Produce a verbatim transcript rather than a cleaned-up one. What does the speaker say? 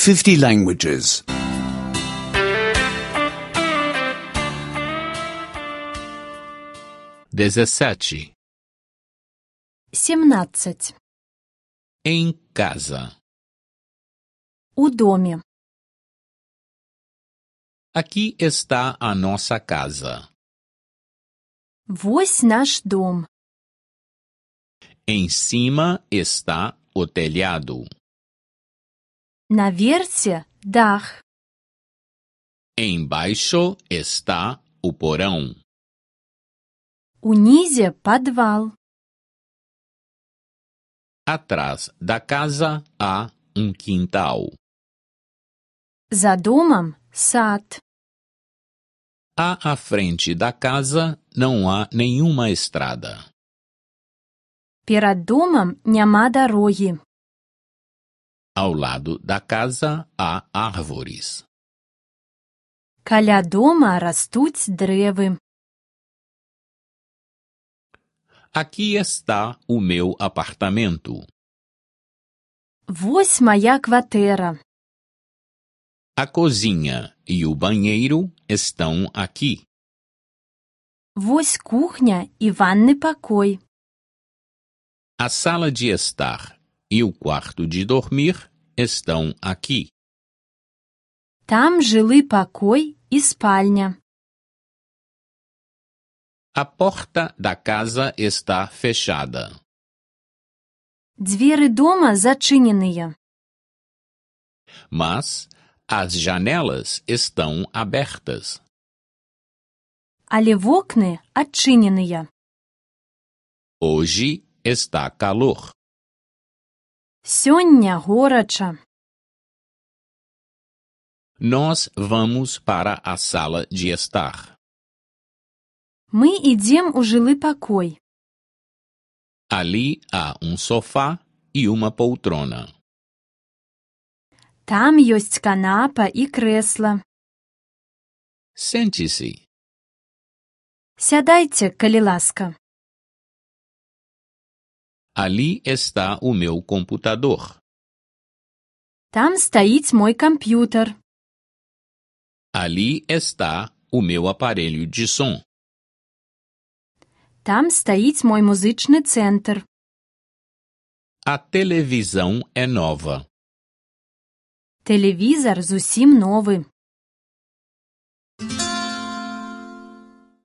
fifty languages. Dezessete. Семнадцать. Em casa. У доме. Aqui está a nossa casa. Вось наш дом. Em cima está o telhado. Наверсе дах. Embaixo está o porão. Унізе подвал. Atrás da casa há um quintal. За домом сад. À, à frente da casa não há nenhuma estrada. Перад домам няма дарогі. Ao lado da casa há árvores. Каля дома растуць дрэвы. Aqui está o meu apartamento. Вось мая кватэра. A cozinha e o banheiro estão aqui. Вось кухня і ванны пакой. A sala de estar e o quarto de dormir estão aqui. Там жылы пакой і спальня. A porta da casa está fechada. Дзверы дома зачыненыя. Mas as janelas estão abertas. Але вокны адчыненыя. Hoje está calor. Сёння горача. Nós vamos para a sala de estar. Мы ідзем у жылы пакой. Ali há um sofá e uma poltrona. Там ёсць канапа і крэсла. Sente-se. Сядайце, калі ласка. Ali está o meu computador. Там стаіць мой камп'ютар. Ali está o meu aparelho de som. Там стаіць мой музычны цэнтр. A televisão é nova. Тэлевізар зусім новы.